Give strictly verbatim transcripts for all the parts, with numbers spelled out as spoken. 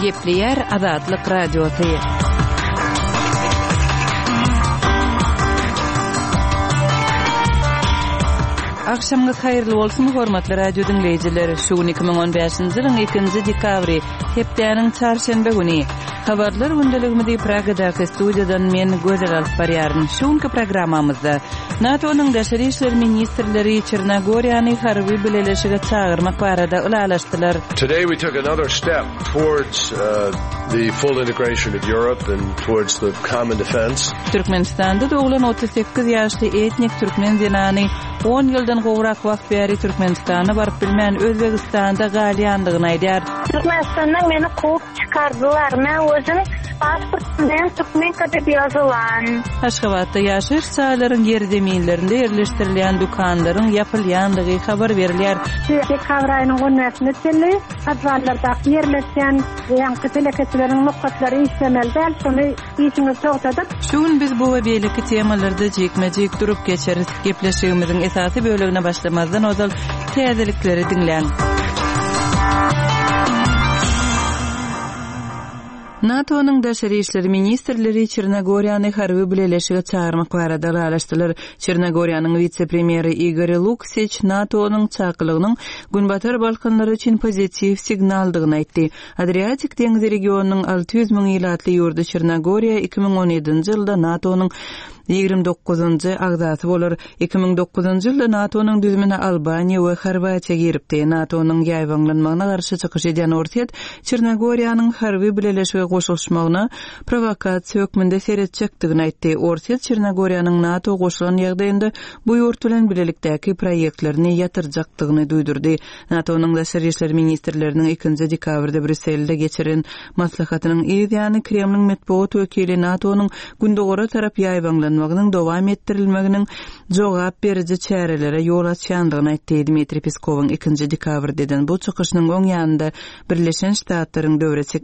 Gepleýär Azatlyk Radiosy. Agşamyňyz haýyrly bolsun, hormatly radio diňleýjiler! Şu gün iki müň on bäşinji ýylyň ikinji dekabry, hepdäniň çarşenbe güni. Habarlar gündeligimizi Pragadaky studiýadan men Gözel alyp barýaryn. Şu günki programmamyzda NATO-nyň daşary işler ministrleri Çernogoriýany harby bileleşige çagyrmak barada ylalaşdylar. Today we took another step towards, uh, the full integration of Europe and towards the common defense. Türkmenistanda doglan otuz sekiz ýaşly etnik türkmen zenany on ýyldan gowrak wagt bäri Türkmenistana baryp bilmän Özbegistanda galýandygyny aýdýar. Türkmenistandan meni kowup çykardylar. Men özüm pasport bilen türkmen kadar ýazylan. Aşgabatda ýaşaýyş jaýlaryň ýerzeminlerinde ýerleşdirilýän dükanlaryň ýapylýandygy habar berilýär. Dekabr aýynyň on bäşine çenli podwallardaky ýerleşýän ýaňky telekeçileriň nokatlary işlemeli däl, şony işiňizi togtadyp. Şu gün biz bu we beýleki temalarda jikme-jik durup geçeris. Gepleşigimiziň esasy bölegine başlamazdan ozal täzelikleri diňläň. NATO-nyň daşary işler ministrleri Çernogoriýany harby bileleşige çagyrmak barada ylalaşdylar. Çernogoriýanyň wise-premýeri Igor Luksiç NATO-nyň çakylygynyň Günbatar Balkanlary üçin pozitiw signaldygyny aýtdy. Adriatik deňzi regionynyň alty ýüz müň ilatly ýurdy Çernogoriýa iki müň on ýedinji ýylda NATO-nyň ýigrimi dokuzynjy agzasy bolar. Iki müň dokuzynjy ýylda NATO-nyň düzümine Albaniýa we Horwatiýa giripdi. NATO-nyň ýaýbaňlanmagyna garşy çykyş edýän Orsýet Çernogoriýanyň harby bileleşige goşulyşmagyna prowokasiýa hökmünde seretjekdigini aýtdy. Orsýet Çernogoriýanyň NATO goşulan ýagdaýynda bu ýurt bilen bilelikdäki proýektlerini ýatyrjakdygyny duýdurdy. NATO-nyň daşary işler ministrleriniň ikinji dekabrda Brýusselde geçiren maslahatynyň yz ýany Kremliň metbugat wekili NATO-nyň gündogara tarap ýaýbaňlanmagynyň dowam etdirilmeginiň jogap beriji çärelere ýol açýandygyny aýtdy. Dmitriý Peskowyň ikinji dekabrda eden bu çykyşynyň öň ýanynda Birleşen Ştatlaryň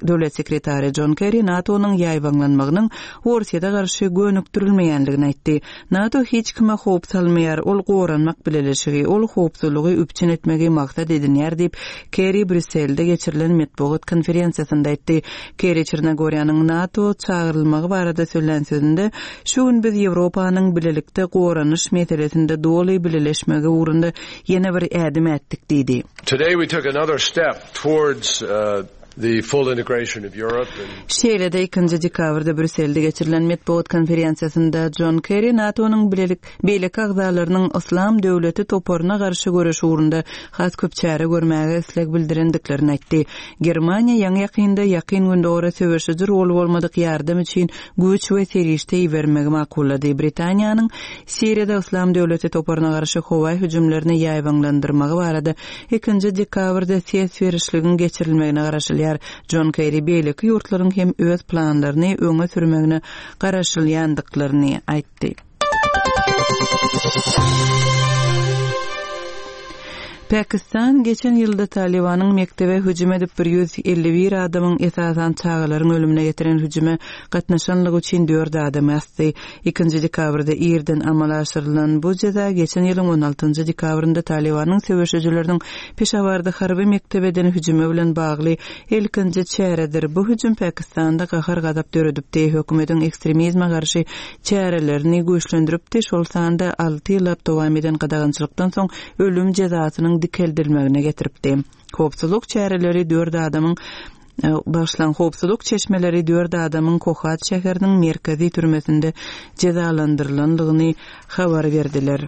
döwlet sekretary John Kerry NATO-nyň ýaýbaňlanmagynyň Orsýete garşy gönükdirilmeýändigini aýtdy. NATO hiç kime howp salmaýar, ol goranmak bileleşigi, ol howpsuzlygy üpjün etmegi maksat edinýär diýip Kerry Brýusselde geçirilen metbugat konferensiýasynda aýtdy. Kerry Çernogoriýanyň NATO çagyrylmagy barada söylän sözünde şu gün biz Ýewropanyň bilelikde goranyş meselesinde doly bileleşmegi ugrunda ýene bir ädim ätdik diýdi. Today we took another step towards, uh, the full integration of Europe and Şeýle-de ikinji dekabrda Brýusselde geçirilen metbugat konferensiýasynda John Kerry NATO-nyň bilelik beýleki agzalarynyň Yslam döwleti toparyna garşy göreş ugrunda has köp çäre görmäge isleg bildirendiklerini aýtdy. Germaniýa ýaňy ýakynda ýakyn gündogara söweşiji rol bolmadyk ýardam üçin güýç we serişde ibermegi makullady. Britaniýanyň Siriýada Yslam döwleti toparyna garşy howa hüjümlerini ýaýbaňlandyrmagy barada ikinji dekabrda ses berişligiň geçirilmegine garaşylýar. John Kerry beýleki ýurtlaryň hem öz planlaryny öňe sürmegine garaşylýandyklaryny aýtdy. Pakistan geçen ýylda Talibanyň mektebe hüjüm edip bir ýüz elli bir adamyň esasan çagalaryň ölümüne getiren hüjüme gatnaşanlygy üçin dört adamy asdy. Ikinji dekabrda irden amala aşyrylan bu jeza geçen ýylyň on altynjy dekabrynda Talibanyň söweşijileriniň Peşawarda harby mektebeden hüjüme bilen bagly ilkinji çäredir. Bu hüjüm Pakistanda gahar gazap döredipdi. Hökümetiň ekstremizme garşy çärelerini güýçlendiripdi. Şol sanda alty ýyllap dowam eden gadagançylykdan soň ölüm jezasynyň dikeltilmegine getiripdi. Howpsuzlyk çäreleri dört adamyň, e, başlan howpsuzlyk çeşmeleri dört adamyň Kohat şäheriniň merkezi türmesinde jezalandyrylandygyny habar berdiler.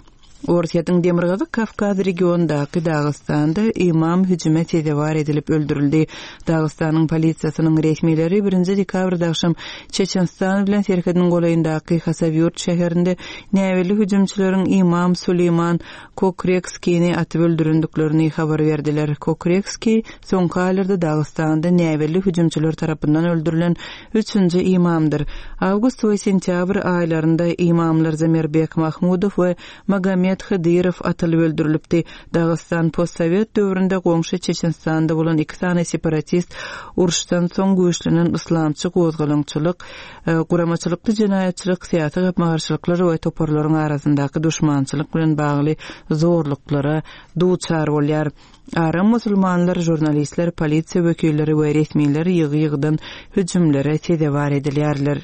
Orsýetiň Demirgazyk Kawkaz regionundaky Dagystanda imam hüjüme sezewar edilip öldürildi. Dagystanyň polisiýasynyň resmileri birinji dekabrda akşam Çeçenistan bilen serhediniň golaýyndaky Hasawýurt şäherinde näbelli hüjümçileriň imam Suleýman Kokrekskini atyp öldürendiklerini habar berdiler. Kokrekski soňky aýlarda Dagystanda näbelli hüjümçiler tarapyndan öldürilen üçünji imamdyr. Awgust we sentýabr aýlarynda imamlar Zamirbek Mahmudow we Magomed Muhammet Hydyrow atylyp öldürilipdi. Dagystan postsowet döwründe goňşy Çeçenistanda bolan iki sany separatist uruşdan soň güýçlenen yslamçy gozgalaňçylyk, guramaçylykly jenaýatçylyk, syýasy gapma-garşylyklar we toparlaryň arasyndaky duşmançylyk bilen bagly zorluklara duçar bolýar. Aram musulmanlar, žurnalistler, polisiýa wekilleri we resmiler ýygy-ýygydan hüjümlere sezewar edilýärler.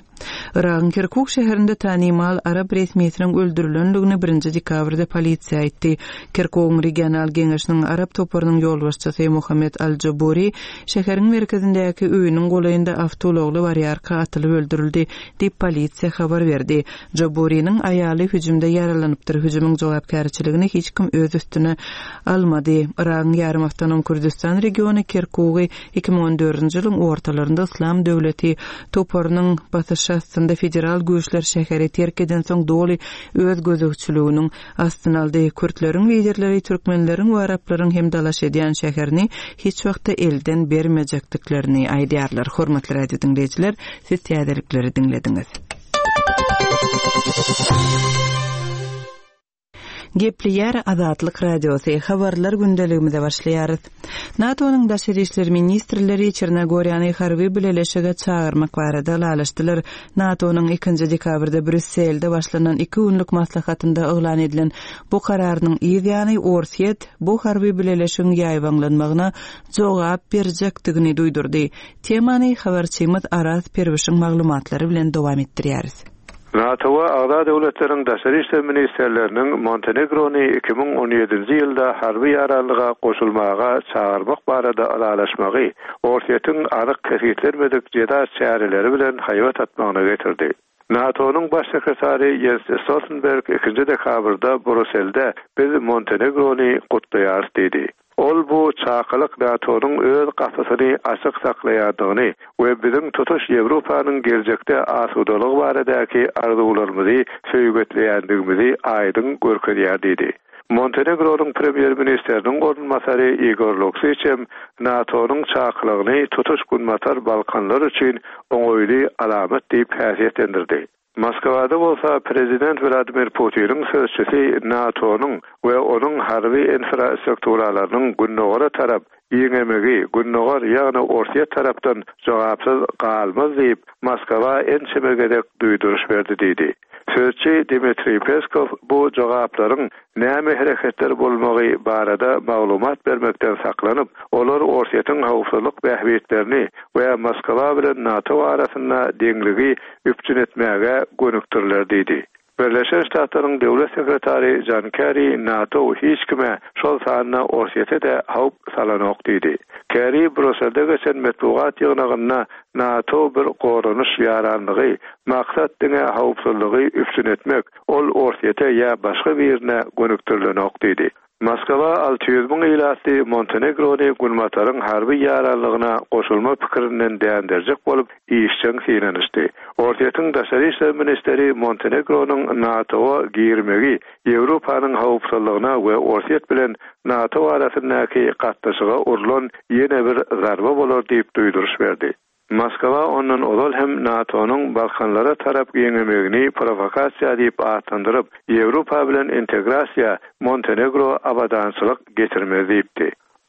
Yragyň Kirkuk şäherinde tanymal arap resmisiniň öldürilendigini birinji dekabrda polisiýa aýtdy. Kirkugyň regional geňeşiniň arap toparynyň ýolbaşçysy Muhammet Al-Jaburi şäheriň merkezindäki öýüniň golaýynda awtoulagly barýarka atylyp öldürildi diýip polisiýa habar berdi. Jaburiniň aýaly hüjümde ýaralanypdyr. Hüjümiň jogapkärçiligini hiç kim öz üstüne almady. Yragyň ýarym awtonom Kürdistan regiony Kirkugy iki müň on dördünji ýylyň ortalarynda Yslam döwleti toparynyň basyşy astynda federal güýçler şäheri terk edensoň doly öz gözegçiliginiň astyna aldy. Kürtleriň liderleri türkmenleriň we araplaryň hem dalaş edýän şäherini hiç wagtda elden bermejekdiklerini aýdýarlar. Hormatly radio diňleýjiler, siz täzelikleri diňlediňiz. Gepleýär Azatlyk Radiosy. Habarlar gündeligimize başlaýarys. NATO-nyň daşary işler ministrleri Çernogoriýany harby bileleşige çagyrmak barada ylalaşdylar. NATO-nyň ikinji dekabrda Brýusselde başlanan iki günlük maslahatynda yglan edilen bu kararynyň yz ýany Orsýet bu harby bileleşigiň ýaýbaňlanmagyna jogap berjekdigini duýdurdy. Temany habarçymyz Araz Perwişiň maglumatlary bilen dowam etdirýäris. NATO-a agza döwletleriň daşary işler ministrleriniň Montenegrony iki müň on ýedinji ýylda harby ýaranlyga goşulmaga çagyrmak barada ylalaşmagy Orsýetiň anyk kesgitlenmedik jeza çäreleri bilen haýbat atmagyna getirdi. NATO-nyň baş sekretary Jens Stoltenberg ikinji dekabrda Brýusselde biz Montenegrony gutlaýarys diýdi. Ol bu çakylyk NATO-nyň öz gapysyny açyk saklaýandygyny we biziň tutuş Ýewropanyň geljekde asudalygy baradaky arzuwlarymyzy söýgetleýändigimizi aýdyň görkezýär diýdi. Montenegronyň premýer-ministriniň orunbasary Igor Luksiç hem NATO-nyň çakylygyny tutuş Günbatar Balkanlar üçin oňaýly alamat diýip häsiýetlendirdi. Moskwada bolsa prezident Vladimir Putiniň sözçüsi NATO-nyň we onuň harby infrastrukturalarynyň gündogara tarap ýeňemegi gündogar ýagny Orsýet tarapdan jogapsyz galmaz diýip Moskwa ençeme gezek duýduryş berdi diýdi. Sözçi Dmitriý Peskow bu jogaplaryň näme hereketler bolmagy barada maglumat bermekden saklanyp, olar Orsýetiň howpsuzlyk bähbitlerini we Moskwa bilen NATO arasynda deňligi üpjün etmäge gönükdiriler diýdi. Birleşen Ştatlaryň döwlet sekretary John Kerry NATO hiç kime şol sanda Orsýete de howp salanok diýdi. Kerry Brýusselde geçen metbugat ýygnagynda NATO bir goranyş ýaranlygy, maksat diňe howpsuzlygy üpjün etmek, ol Orsýete ýa başga birine gönükdirilenok diýdi. Moskwa alty ýüz müň ilatly Montenegrony Günbataryň harby ýaranlygyna goşulma pikirinden dänderjek bolup işjeň synanyşdy. Orsýetiň daşary işler ministri Montenegronyň NATO-a girmegi Ýewropanyň howpsuzlygyna we Orsýet bilen NATO arasyndaky gatnaşyga urlan ýene bir zarba bolar diýip duýduryş berdi. Moskwa ondan ozal hem NATO-nyň Balkanlara tarap giňemegini provokasiýa diýip atlandyryp, Ýewropa bilen integrasiýa Montenegro abadançylyk getirmez diýipdi.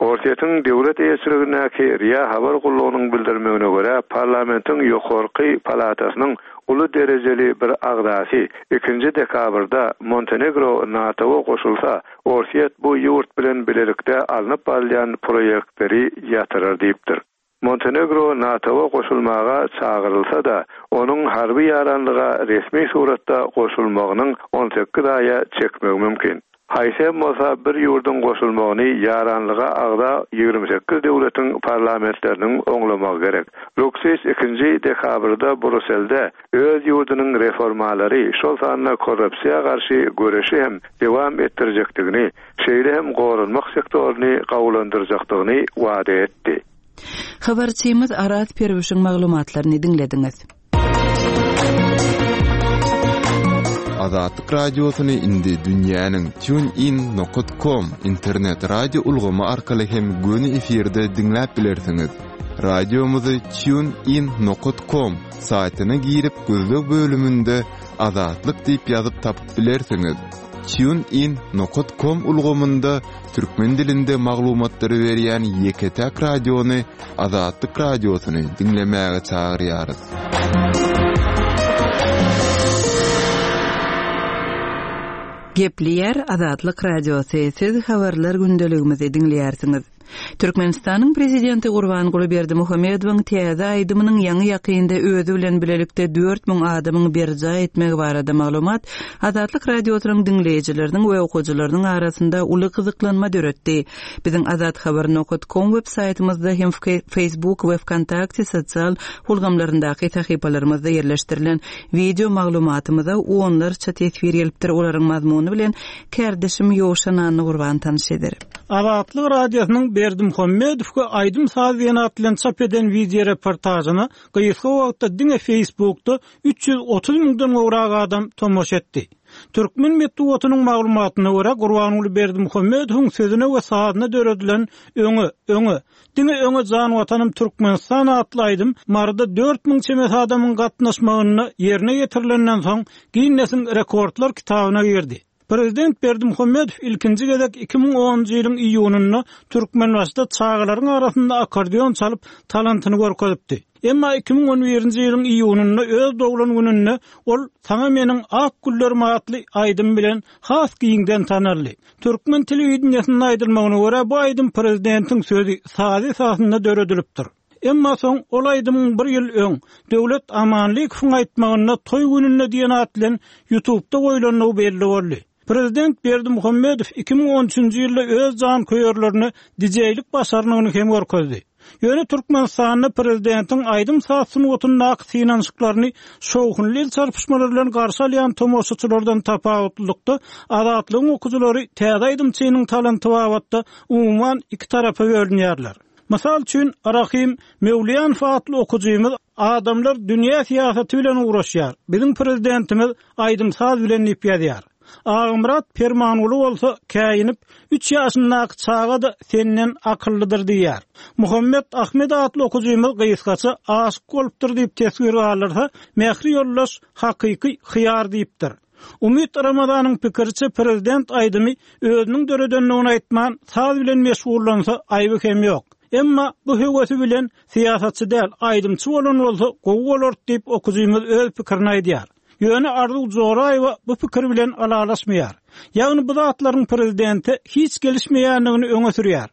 Orsýetiň döwlet eýeçiligindäki R I A habar gullugynyň bildirmegine görä, parlamentiň ýokarky palatasynyň uly derejeli bir agzasy ikinji dekabrda Montenegro NATO-a goşulsa, Orsýet bu ýurt bilen bilelikde alnyp barylýan proýektleri ýatyrar diýipdir. Montenegro NATO-a goşulmaga çagyrylsa da, onuň harby ýaranlyga resmi suratda goşulmagynyň on sekiz aýa çekmegi mümkin. Haýsy hem bolsa bir ýurduň goşulmagyny ýaranlyga agza ýigrimi sekiz döwletiň parlamentleriniň oňlamagy gerek. Luksiç ikinji dekabrda Brýusselde öz ýurdunyň reformalary, şol sanda korrupsiýa garşy göreşi hem dowam etdirjekdigini, şeýle hem goranmak sektoryny gawulandyrjakdygyny wada etdi. Habarçymyz Araz Perwişiň maglumatlaryny diňlediňiz. Azatlyk radiosyny indi dünýäniň TuneIn nokta com internet radio ulgamy arkaly hem göni efirde diňläp bilersiňiz. Radiomyzy TuneIn nokta com saýtyna girip gözleg bölüminde Azatlyk diýip ýazyp tapyp bilersiňiz. TuneIn nokat com ulgamynda türkmen dilinde maglumatlary berýän ýeke-täk radiony Azatlyk Radiosyny diňlemäge çagyrýarys. Gepleýär Azatlyk Radiosy, siz habarlar gündeligimizi diňleýärsiňiz. Türkmenistanyň prezidenti Gurbanguly Berdimuhamedowyň täze aýdymynyň ýaňy ýakynda özi bilen bilelikde dört müň adamyň berjaý etmegi barada maglumat Azatlyk Radiosynyň diňleýjileriniň we okyjylarynyň arasynda uly gyzyklanma döretdi. Biziň azathabar nokat com web saýtymyzda hem Facebook we Vkontakte sosial ulgamlaryndaky sahypalarymyzda ýerleşdirilen wideo maglumatymyza onlarça teswir gelipdir. Olaryň mazmuny bilen kärdeşim Ýowşan Annagurban tanyş eder. Azatlyk Radiosynyň Berdimuhamedow we aýdym saz diýen at bilen çap eden wideo reportažyna gysga wagtda diňe Facebookda üç ýüz otuz müňden gowrak adam tomaşa etdi. Türkmen metbugatynyň maglumatyna görä Gurbanguly Berdimuhamedowyň sözüne we sazyna döredilen Öňe, öňe, diňe öňe jan watanym Türkmenistan atly aýdym Maryda dört müň çemesi adamyň gatnaşmagynda ýerine ýetirilenden soň Ginnesiň rekordlar kitabyna girdi. Prezident Berdimuhamedow ilkinji gezek iki müň onunjy ýylyň iýunynda Türkmenbaşyda çagalaryň arasynda akordeon çalyp talantyny görkezipdi. Emma iki müň on birinji ýylyň iýunynda öz doglan gününde ol Saňa meniň ak güllerim atly aýdym bilen has giňden tanaldy. Türkmen telewideniýesinde aýdylmagyna görä bu aýdym prezidentiň sözi sazy esasynda döredilipdir. Emma soň ol aýdymyň bir ýyl öň Döwlet Amanlykowyň aýtmagynda toý gününde diýen at bilen YouTube'da goýlandygy belli boldy. Prezident Berdimuhamedow iki müň on üçünji ýylda öz jan köýerlerine D J-lik başarnygyny hem görkezdi. Ýöne Türkmenistanda prezidentiň aýdym saz sungatyndaky synanyşyklaryny şowhunly el çarpyşmalar bilen garşy alýan tomaşaçylardan tapawutlylykda Azatlygyň okyjylary täze aýdymçynyň talanty babatda umuman iki tarapa bölünýärler. Mysal üçin Rahim Mewliýanow atly okyjymyz adamlar dünýä syýasaty bilen uğraşýar. Biziň prezidentimiz aýdym saz bilen diýip ýazýar. Agymyrat Permanguly bolsa käýinip üç ýaşyndaky çaga da senden akyllydyr diýýär. Muhammet Ahmed atly okyjymyz gysgaça aşyk bolupdyr diýip teswir galdyrsa, Mähri ýoldaş hakyky hyýar diýipdir. Umyt Ramazanyň pikiriçe prezident aýdymy özüniň döredenligini aýtman, saz bilen meşgullansa aýby hem ýok. Emma bu höwesi bilen syýasatçy däl, aýdymçy bolan bolsa gowy bolar diýip okyjymyz öz pikirini aýdýar. Ýöne Arzuw Joraýewa bu pikir bilen alalaşmaýar. Ýagny bu zatlaryň prezidente hiç gelişmeýändigini öňe sürýär.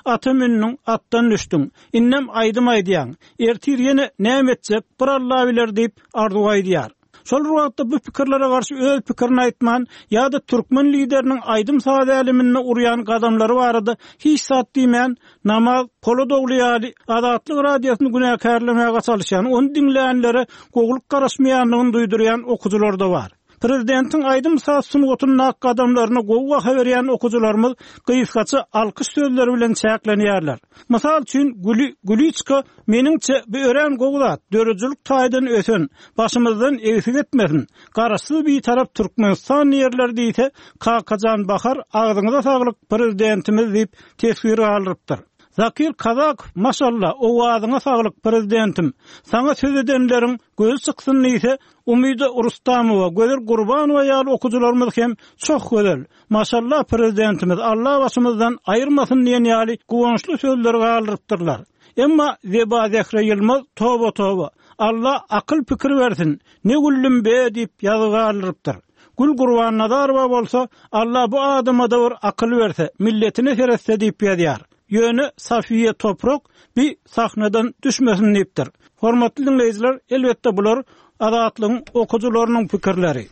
Ata mündüň, atdan düşdüň, innem aýdym aýdýaň, ertir ýene näme etjek, bir Alla biler diýip arzuw aýdýar. Şol wagtda bu pikirlere garşy öz pikirini aýtman ýa-da türkmen lideriniň aýdym saz äleminde urýan gadamlary barada hiç zat diýmän, namaz pola dogly ýaly Azatlyk radiosyny günäkärlemäge çalyşýan, ony diňleýänlere gowulyk garaşmaýandygyny duýdurýan okyjylar da bar. Prezidentiň aýdym saz sungatyndaky gadamlaryny gowy baha berýän okyjylarymyz gysgaça alkyş sözleri bilen çäklenýärler. Mysal üçin Güli Güliçka meniňçe bu örän gowy zat, döredijilik taýdan ösen, başymyzdan egsik etmesin. Garaşsyz bir tarap Türkmenistan ýerleri diýse, Kakajan Bahar agzyňyza saglyk prezidentimiz diýip teswir galdyrypdyr. Zakir Kazakow, maşallah, owazyňa saglyk prezidentim. Saňa söz edenleriň gözi çyksyn diýse, Umyda Rustamowa, Gözel Gurbanowa ýaly okyjylarymyz hem çok gözel. Maşallah prezidentimiz Allah başymyzdan aýyrmasyn diýen ýaly guwançly sözleri galdyrypdyrlar. Emma Zeba Zehre Ýylmaz toba toba. Allah akyl pikir bersin. Ne güllüm be diýip ýazgy galdyrypdyr. Gül Gurbannazarowa bolsa Allah bu adama da bir akyl berse, milletine seretse diýip ýazýar. Ýöne Safiye Toprak bir sahnadan düşmesin diýipdir. Hormatly dinleýjiler, elbetde bular Azatlygyň okyjylarynyň pikirleri.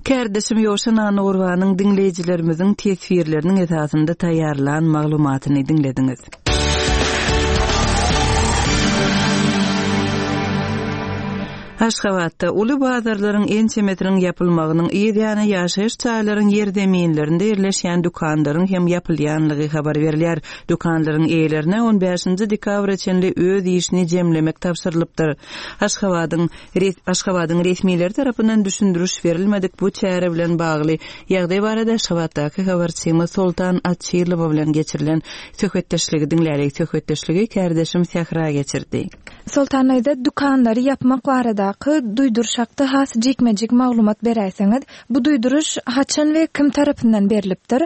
Kärdeşim Ýowşan Annagurbanyň dinleýjilerimiziň teswirleriniň esasynda taýýarlan maglumatyny diňlediňiz. Aşgabatda uly bazarlaryň ençemesiniň ýapylmagynyň yz ýany ýaşaýyş jaýlaryň ýerzeminlerinde ýerleşýän dükanlaryň hem ýapylýanlygy habar berilýär. Dükanlaryň eýelerine on bäşinji dekabra çenli öz işini jemlemek tabşyrylypdyr. Aşgabadyň res-, Aşgabadyň resmileri tarapyndan düşündiriş berilmedik bu çäre bilen bagly ýagdaý barada Aşgabatdaky habarçymyz Soltan Açylowa bilen geçirilen söhbetdeşligi diňlälik. Söhbetdeşligi kärdeşim Sähra geçirdi. Soltan aýda dükanlary ýapmak barada baradaky duýduryş hakda has jikme-jik maglumat beräýseňiz. Bu duýduryş haçan we kim tarapyndan berlipdir?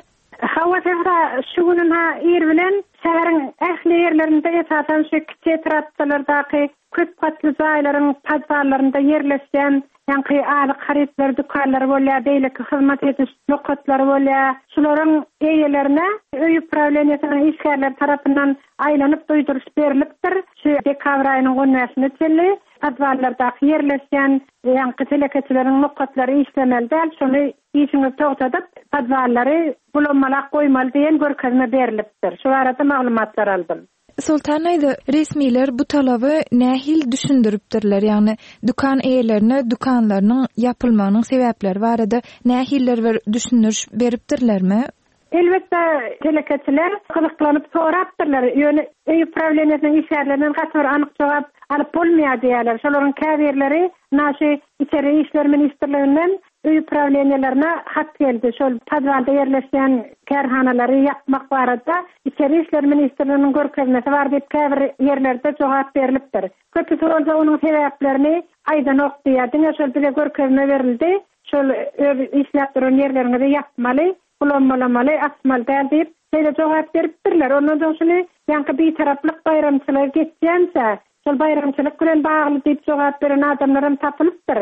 Hawa, Sähra, şu gün ha ir bilen şäheriň ähli ýerlerinde, esasan şu kiçi etrapçalardaky köp gatly jaýlaryň podwallarynda ýerleşýän ýaňky azyk harytlary dükanlary bolýar, beýleki hyzmat ediş nokatlary bolýar. Şularyň eýelerine öý uprawleniýesiniň işgärleri tarapyndan aýlanyp duýduryş berlipdir. Şu dekabr aýynyň on bäşine çenli podwallardaky ýerleşýän ýaňky telekeçileriň nokatlary işlemeli däl, şony işiňizi togtadyp, podwallary bulanmalak goýmaly diýen görkezme berlipdir. Şu barada maglumatlar aldym. Soltan aýda, resmiler bu talaby nähili düşündiripdirler? Ýagny dükan eýelerine dükanlarynyň ýapylmagynyň sebäpleri barada nähililer bir düşündiriş beripdirlermi? Elbetde telekeçiler gyzyklanyp sorapdyrlar. Ýöne öý uprawleniýesiniň işgärlerinden gaty bir anyk jogap alyp bolmaýar diýýärler. Şolaryň käbirleri naşy içeri işler ministrliginden öý uprawleniýelerine hat geldi. Şol podwalda ýerleşýän kärhanalary ýapmak barada içeri işler ministrliginiň görkezmesi bar diýip käbir ýerlerde jogap berlipdir. Köpüsi bolsa onuň sebäplerini aýdanok diýýär. Diňe şol bize görkezme berildi. Şol öz işläp duran ýerleriňizi ýapmaly, bulanmalamaly, asmaly däl diýip şeýle jogap beripdirler. Ondan soň şuny ýaňky bitaraplyk baýramçylygy geçýänçä, şol baýramçylyk bilen bagly diýip jogap beren adamlaram tapylypdyr.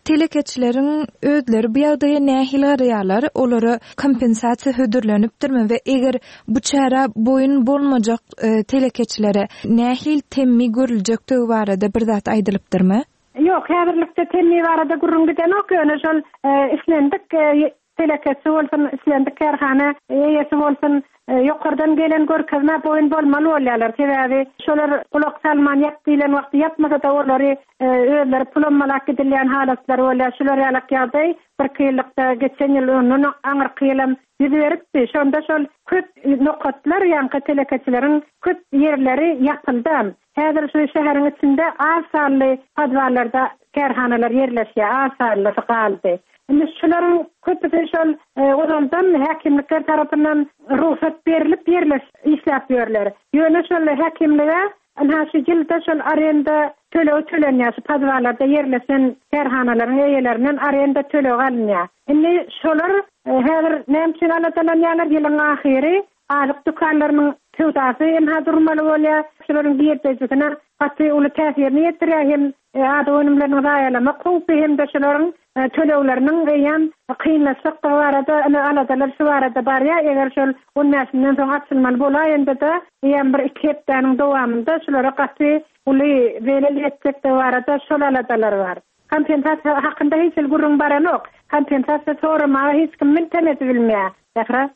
Telekeçileriň özleri bu ýagdaýa nähili garaýarlar? Olara kompensasiýa hödürlenipdirmi we eger bu çäre boýun bolmajak, e, telekeçilere nähili temmi görüljekdigi barada bir zat aýdylypdyrmy? Ýok, häzirlikde temmi barada gürrüň gidenok. Ýöne şol, e, islendik, e, telekeçi bolsun, islendik kärhana eýesi bolsun, e, ýokardan gelen görkezme boýun bolmaly bolýarlar. Sebäbi şolar gulak salman ýap diýlen wagty ýapmasa da olary, e, özleri pulanmalak gidilýän halatlar bolýar. Şular ýalak ýagdaý bir iki ýyllykda geçen ýyl ondan aňyrky ýylam ýüz beripdi. Şonda şol köp nokatlar, ýaňky telekeçileriň köp ýerleri ýapyldy. Häzir şu şäheriň içinde az sanly podwallarda kärhanalar ýerleşýär, az sanlysy galdy. Indi şularyň köpüsi şol, e, ozaldan häkimlikler tarapyndan rugsat berilip ýerleş işläp ýörler. Ýöne şol häkimlige ynha şu ýylda şol arenda tölegi tölenýär, şu podwallarda ýerleşen kärhanalaryň eýelerinden arenda tölegi alynýar. Indi şolar, e, häzir näme üçin aladalanýarlar? Ýylyň ahyry azyk dükanlarynyň söwdasy ynha durmaly bolýar. Şolaryň girdejisine gaty uly täsirini ýetirýär, hem, e, azyk önümleriniň zaýalamak howpy hem-de şolaryň, e, tölegleriniň eýýäm kynlaşjakdygy barada ine aladalar şu barada barýar. Eger şol on bäşinden soň açylmaly bolaýanda-da eýýäm bir iki hepdäniň dowamynda şolara gaty uly zelel ýetjekdigi barada şol aladalar bar. Kompensasiýa hakynda hiç hil gürrüň baranok. Kompensasiýa soramaga hiç kim miltemedi bilmeýär. Sähra.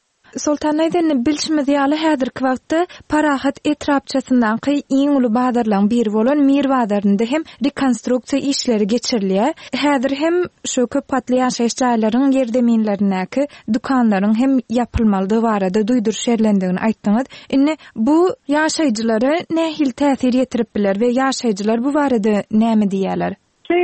Soltan aýdan bilşimiz ýaly häzirki wagtda Parahat etrapçasyndaky iň uly bazarlaryň biri bolan Mir bazarynda hem rekonstruksiýa işleri geçirilýär. Häzir hem şu köp gatly ýaşaýyş jaýlaryň ýerzeminlerindäki dükanlaryň hem ýapylmalydygy barada duýduryş berlendigini aýtdyňyz. Indi bu ýaşaýjylara nähili täsir ýetirip biler we ýaşaýjylar bu barada näme diýýärler? Şu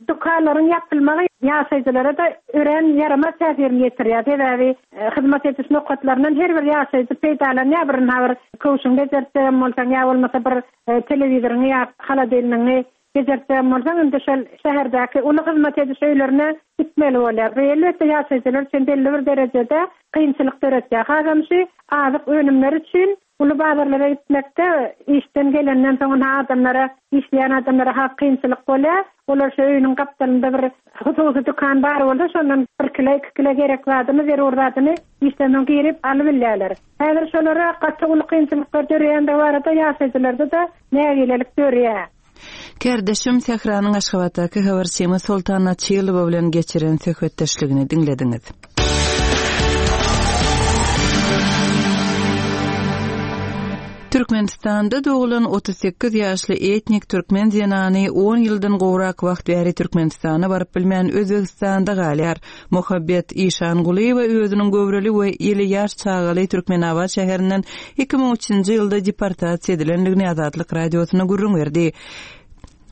dükanlaryň ýapylmagy ýaşaýjylara da örän ýaramaz täsirini ýetirýär. Sebäbi, e, hyzmat ediş nokatlaryndan her bir ýaşaýjy peýdalanýar. Bir bir köwşüň bejertjegem bolsaň, ýa bolmasa bir, e, telewizoryňy ýa holodilnigiňi bejertjegem bolsaň, indi şol şäherdäki uly hyzmat ediş öýlerine gitmeli bolýar. Bu elbetde ýaşaýjylar üçin belli bir derejede kynçylyk döretýär. Hasam şu azyk önümleri üçin uly bazarlara gitmekde işden gelenden soň adamlara, işleýän adamlara has kynçylyk bolýar. Olar şu öýüniň gapdalynda bir hususy dükan bar bolsa, şondan bir kilo, iki kilo gerek zadyny, zerur zadyny işden soň girip alyp bilýärler. Häzir şolara gaty uly kynçylyklar döreýändigi barada ýaşaýjylarda da nägilelik dörýär. Kärdeşim Sähranyň Aşgabatdaky habarçymy Soltan Açylowa bilen geçiren söhbetdeşligini diňlediňiz. Türkmenistanda doglan otuz sekiz ýaşly etnik türkmen zenany on ýyldan gowrak wagt bäri Türkmenistana baryp bilmän Özbegistanda galýar. Muhabbet Işangulyýewa özüniň göwreli we ýyly ýaş çagaly Türkmenabat şäherinden iki müň üçünji ýylda deportasiýa edilendigini Azatlyk radiosyna gürrüň berdi.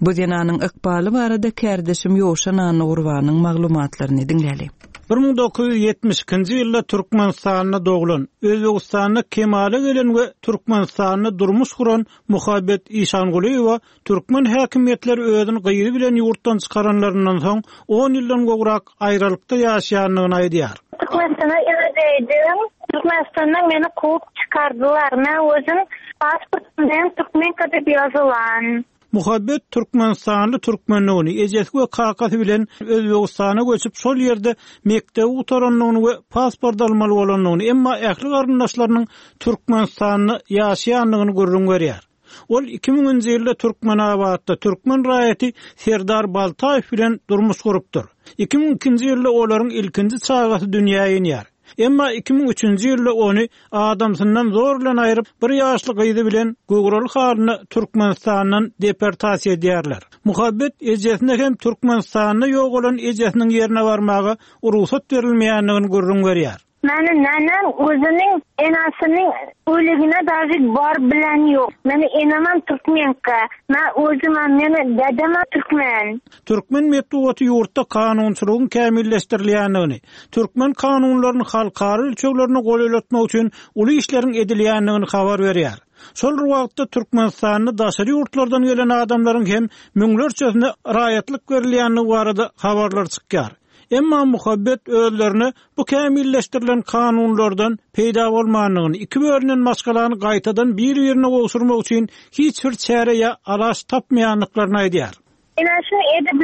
Bu zenanyň ykbaly barada kärdeşim Ýowşan Annagurbanyň maglumatlaryny diňläli. Bir müň dokuz ýüz ýetmiş ikinji ýylda Türkmenistanda doglan, Özbegistanda kemala gelen we Türkmenistanda durmuş guran Muhabbet Işangulyýewa türkmen häkimiýetleri özüni gyzy bilen ýurtdan çykaranlaryndan soň on ýyldan gowrak aýralykda ýaşaýandygyny aýdýar. Türkmenistana eldeýdim. Türkmenistandan meni kowup çykardylar. Men özüm pasportymdan türkmenka diýip ýazylan. Muhabbet Türkmenistanly türkmenligini, ejesi we kakasy bilen Özbegistana göçüp şol ýerde mekdebi gutarandygyny we pasport almaly bolandygyny, emma ähli garyndaşlarynyň Türkmenistanda ýaşaýandygyny gürrüň berýär. Ol iki müňünji ýylda Türkmenabatda türkmen raýaty Serdar Baltaýew bilen durmuş gurupdyr. Iki müň ikinji ýylda olaryň ilkinji çagasy dünýä inýär. Emma iki müň üçünji ýylda ony adamsyndan zor bilen aýryp, bir ýaşly gyzy bilen göwreli halyna Türkmenistandan deportasiýa edýärler. Muhabbet ejesine hem Türkmenistanda ýok bolan ejesiniň ýerine barmaga rugsat berilmeýändigini gürrüň berýär. Meni nenem özüniň enasiniň öligine daži bar bilen ýok. Meni enamam türkmenka, men özüm hem meni dedem türkmen. Türkmen metbugaty ýurtda kanunçylygyň kämilleşdirilýändigini, türkmen kanunlaryny halkara ölçeglerine golaýlatmak üçin uly işleriň edilýändigini habar berýär. Şol bir wagtda Türkmenistanda daşary ýurtlardan gelen adamlaryň hem müňlerçesine raýatlyk berilýändigi barada habarlar çykýar. Emma Muhabbet özlerine bu kämilleşdirilen kanunlardan peýda bolmandygyny, iki bölünen maşgalany gaýtadan bir-birine gowşurmak üçin hiç bir çäre ýa alaç tapmaýandyklaryny aýdýar. Ine şunu edip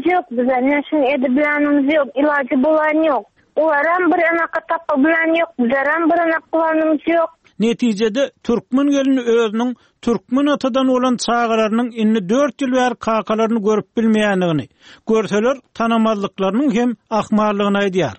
ýok bize, ine şunu edip ýok, ilajy bolan ýok. Olaram bir anaka tapa bilen ýok, bizeram bir anak bulanymyz ýok. Netijede türkmen gelini özüniň türkmen atadan bolan çagalarynyň indi dört ýyl bäri kakalaryny görüp bilmeýändigini, görseler tanamazlyklarynyň hem ahmallygyny aýdýar.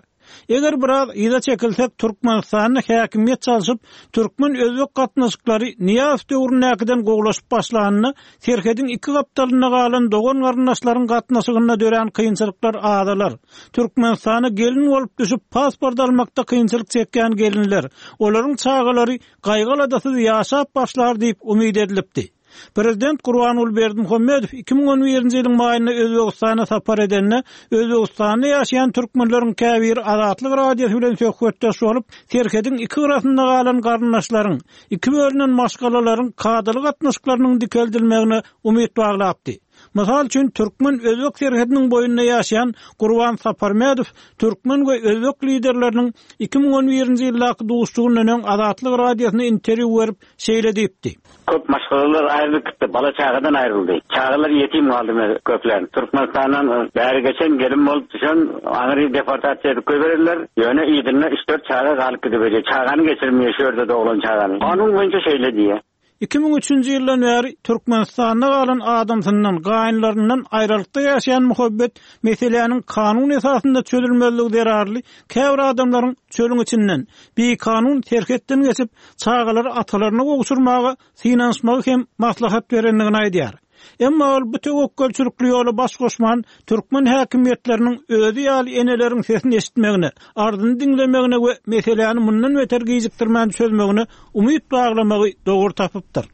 Eger biraz yza çekilsek, Türkmenistanda häkimiýet çalşyp, türkmen-özbek gatnaşyklary Niýaz döwründäkiden gowlaşyp başlanyny, serhediň iki gapdalynda galan dogan garyndaşlaryň gatnaşygynda dörän kynçylyklar azalar. Türkmenistana gelin bolup düşüp pasport almakda kynçylyk çekýän gelinler, olaryň çagalary gaýgyladysyz ýaşap başlar diýip umyt edilipdi. Prezident Gurbanguly Berdimuhamedow iki müň on birinji ýylyň maýynda Özbegistana sapar edende, Özbegistanda ýaşaýan türkmenleriň käbiri Azatlyk radiosy bilen söhbetdeş bolup, serhediň iki gyrasynda galan garyndaşlaryň, iki bölünen maşgalalaryň kadaly gatnaşyklarynyň dikeldilmegine umyt baglapdy. Mysal üçin, türkmen-özbek serhediniň boýunda ýaşaýan Gurban Saparmedow türkmen we özbek liderleriniň iki müň on birinji ýyldaky duşuşygyndan öň Azatlyk radiosyna interwýu berip şeýle diýipdi. Köp maşgalalar aýrylyp gitdi, bala çagadan aýryldy. Çagalar ýetim galdy köpler. Türkmenistandan bäri geçen gelin bolup düşen aňry deportasiýa edip goýberdiler. Ýöne ýedinne üç dört çaga galyp gidip, çagany geçirmeýär şu ýerde doglan çagany. Kanun boýunça şeýle diýýär. Iki müň üçünji ýyldan bäri Türkmenistanda galan adamsyndan, gaýynlaryndan aýralykda ýaşaýan Muhabbet meseläniň kanun esasynda çözülmezligi zerarly käbir adamlaryň çölüň içinden bikanun serhetden geçip çagalary atalaryna gowşurmaga synanyşmagy hem maslahat berendigini aýdýar. Emma ol bu töwekgelçilikli ýola baş goşman türkmen häkimiýetleriniň özi ýaly eneleriň sesini eşitmegine, arzyny diňlemegine we meseläni mundan beter gijikdirmän çözmegine umyt baglamagy dogry tapypdyr.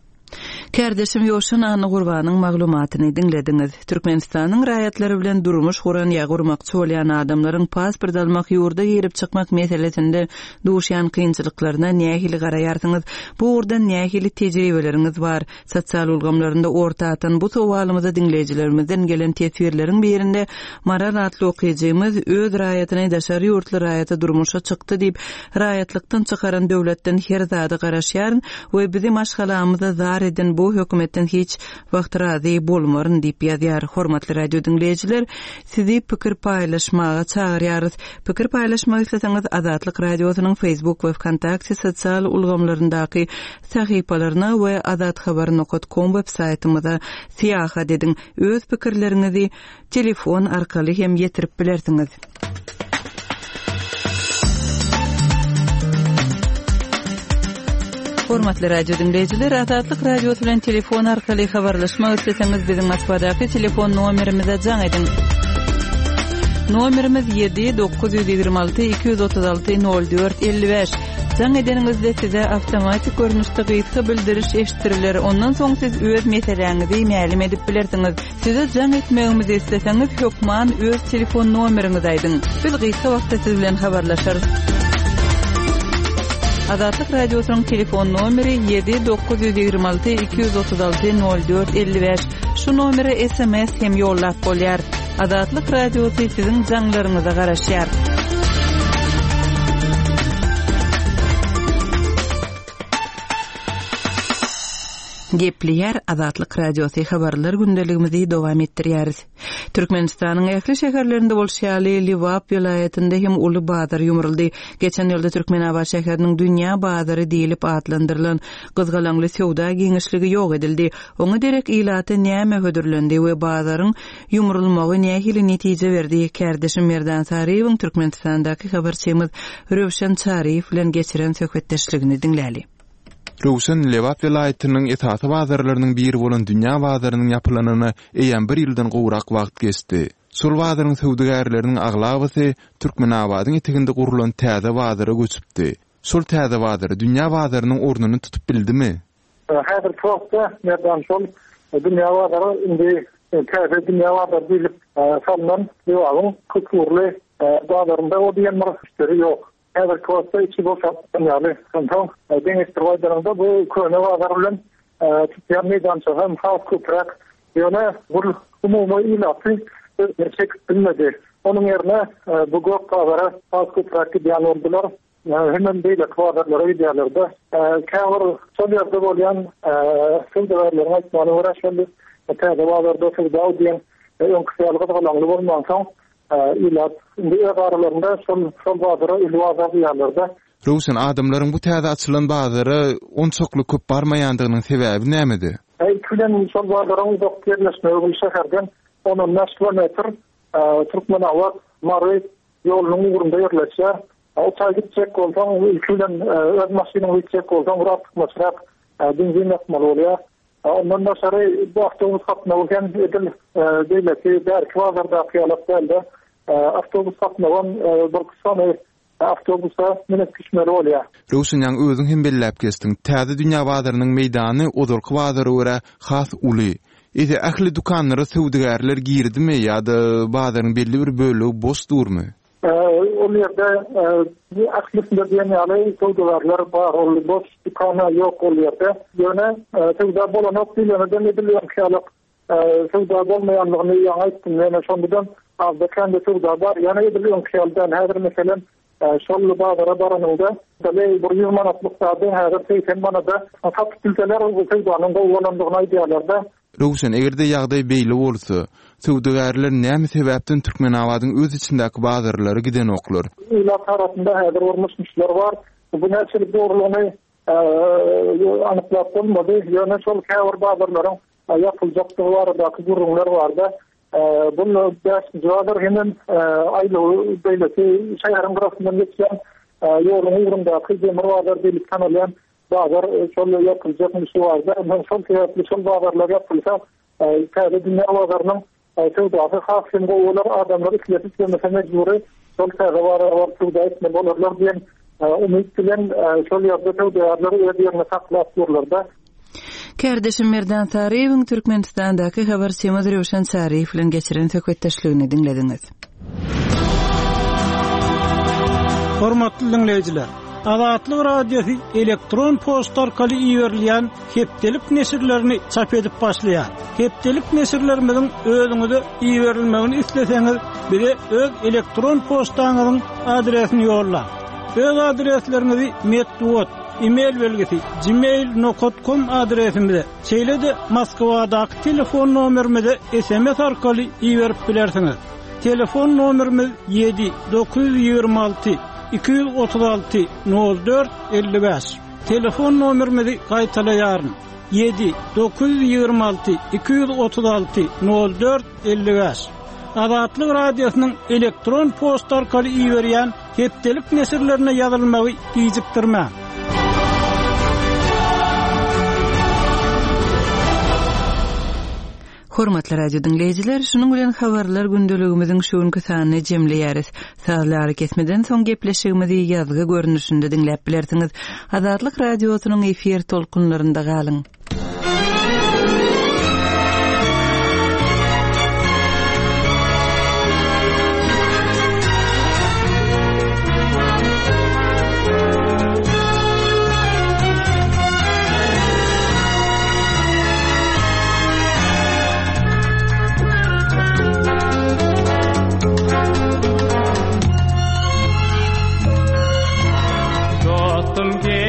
Kardeşim Ýoşan Anna Gurbanyň maglumatyny diňlediňiz. Türkmenistanyň raýatlary bilen durmuş guran ýa gurmakçy bolýan adamlaryň pasport almak, ýurda girip çykmak meselesinde duşýan kynçylyklaryna nähili garaýarsyňyz? Bu ugurdan nähili tejribeleriňiz bar? Sosial ulgamlarynda orta atan bu sowalymyzy diňleýjilerimizden gelen teswirleriň birinde Maral atly okyjymyz öz raýatyny daşary ýurtly raýata durmuşa çykdy diýip, raýatlykdan çykaran döwletden her zady garaşýaryn we bizi maşgalamyza zar eden bu hökümetden hiç wagt razy bolmaryn diýip ýazýar. Hormatly radio diňleýjiler, sizi pikir paýlaşmaga çagyrýarys. Pikir paýlaşmak isleseňiz Azatlyk radiosynyň Facebook we Vkontakte sosial ulgamlaryndaky sahypalaryna we azathabar nokta com web saýtymyza syýahat ediň. Öz pikirleriňizi telefon arkaly hem ýetirip bilersiňiz. Hormatly radio dinleýjiler, Azatlyk radiosy bilen telefon arkaly habarlaşmak isleseňiz biziň Moskwadaky telefon nomerimize jaň ediň. Nomerimiz ýedi dokuz ýüz ýigrimi alty iki ýüz otuz alty nol dört elli bäş. Jaň edeniňizde size awtomatik görnüşde gysga bildiriş eşitdiriler. Ondan soň siz öz meseläňizi mälim edip bilersiňiz. Size jaň etmegimizi isleseňiz, hökman öz telefon nomeriňizi aýdyň. Biz gysga wagtda siz bilen habarlaşarys. Azatlyk Radiosynyň telefon nomeri ýedi dokuz ýüz ýigrimi alty iki ýüz otuz alty nol dört elli bäş. Şu nomere S M S hem ýollap bolýar. Azatlyk Radiosy siziň jaňlaryňyza garaşýar. Gepleýär Azatlyk Radiosy habarlar gündeligimizi dowam etdirýäris. Türkmenistanyň ähli şäherlerinde bolşy ýaly Lebap welaýatynda hem uly bazar ýumruldy. Geçen ýylda Türkmenabat şäheriniň dünýä bazary diýlip atlandyrylan gyzgalaňly söwda giňişligi ýok edildi. Oňa derek ilata näme hödürlendi we bazaryň ýumrulmagy nähili netije berdi? Kärdeşim Merdan Saryýewiň Türkmenistandaky habarçymyz Röwşen Çaryýew bilen geçiren söhbetdeşligini diňläli. Röwşen, Lebap welaýatynyň esasy bazarlarynyň biri bolan dünýä bazarynyň ýapylanyna eýýäm bir ýyldan gowrak wagt geçdi. Şol bazaryň söwdagärleriniň aglabasy Türkmenabadyň eteginde gurlan täze bazara göçüpdi. Şol täze bazar dünýä bazarynyň ornuny tutup bildimi? Häzirki wagtda Merdan şol dünýä bazary indi täze dünýä bazary diýlip salnan Lebabyň köpugurly bazarynda o diýen bir müşderi ýok. Häzirki wagtda içi boşap ýaly. Onsoň deňeşdirip aýdanyňda bu köne bazar bilen tutýan meýdança hem has köpräk. Ýöne bu umumy ilaty özüne çekip bilmedi. Onuň ýerine bu gök bazara has köpräk gidýän boldular. Hemen beýleki bazarlara gidýärler-de. Käbir şol ýerde bolýan söwdagärleriň aýtmagyna görä şol täze bazarda söwda diýen öňküsi ýaly gyzgalaňly bolmansoň ilat indi öz aralarynda şol, şol bazara uly bazar diýýärler-de. Röwşen, adamlaryň bu täze açylan bazara onçakly köp barmaýandygynyň sebäbi nämede? Ilki bilen şol bazaryň uzak ýerleşmegi bu şäherden on on bäş kilometr Türkmenabat Mary ýolunyň ugrunda ýerleşýär. O taý gitjek bolsaň, ilki bilen öz maşynyňy gitjek bolsaň, bir artykmaçrak benzin ýakmaly bolýar. Ondan daşary bu awtobus gatnawy hem edil beýleki bärki bazardaky ýaly dälde. Awtobus gatnawy bir sany awtobusa münüp düşmeli bolýar. Röwşen, ýaňy özüň hem belläp geçdiň. Täze dünýä bazarynyň meýdany ozalky bazara görä has uly. Eýse ähli dükanlara söwdagärler girdimi ýa-da bazaryň belli bir bölegi boş durmy? Ol ýerde ählisinde diýen ýaly söwdagärler bar, ol boş dükana ýok ol ýerde. Ýöne söwda bolanok diýleneden edilýän ýaly söwda bolmaýanlygyny ýaňy aýtdym. Ýöne şondan azda kände söwda bar. Ýöne edil öňki ýaly häzir meselem şol bazara baranyňda bir ýüz manatlyk zady häzir segsen manada satyp bilseler bu söwdanyň gowy bolandygyny aýdýarlar-da. Röwşen, eger-de ýagdaý beýle bolsa, söwdagärler näme sebäpden Türkmenabadyň öz içindäki bazarlara gidenoklar? Ilat arasynda häzir bir bar. Bu näçelik dogrulygyny anyklap bolmady. Ýöne şol käbir bazarlaryň ýapyljakdygy baradaky gürrüňler bardy. Bu bäşinji bazar hemem aýlaw beýleki şäheriň gyrasyndan geçýän ýoluň ugrundaky demir bazar diýlip tanalýan bazar şol ýapyljak şu barda. Men şol sebäpli şol bazarlar ýapylsa, täze dünýä bazarynyň söwdasy has hem gowy bolar, adamlar islese islemese mejbury şol täze bazara baryp söwda etmeli bolarlar diýen umyt bilen şol ýerde söwdagärler öz ýerini saklap durlar-da. Kärdeşim Merdan Saryýewiň Türkmenistandaky habarçymyz Röwşen Çaryýew bilen geçiren söhbetdeşligini diňlediňiz. Hormatly dinleýjiler, Azatlyk Radiosy elektron poçta arkaly iberilýän hepdelik neşirlerini çap edip başlaýar. Hepdelik neşirlerimiziň özüňize iberilmegini isleseňiz, bize öz elektron poçtaňyzyň adresini ýollaň. Öz adresleriňizi metbugat, e-mail belgisi gmail nokta com adresimize, şeýle-de Moskwadaky telefon nomerimize S M S arkaly iberip bilersiňiz. Telefon nomerimiz ýedi dokuz ýüz ýigrimi alty iki ýüz otuz alty nol dört elli bäş. Telefon nomerimizi gaýtalaýaryn. Ýedi dokuz ýüz ýigrimi alty iki ýüz otuz alty nol dört elli bäş. Azatlyk Radiosynyň elektron poçta arkaly iberýän hepdelik neşirlerine ýazylmagy gijikdirmäň. Hormatly radio diňleýjiler, şunuň bilen habarlar gündeligimiziň şu günki sanyny jemleýäris. Sazly arakesmeden soň gepleşigimizi ýazgy görnüşinde diňläp bilersiňiz. Azatlyk radiosynyň efir tolkunlarynda galyň. Dostum.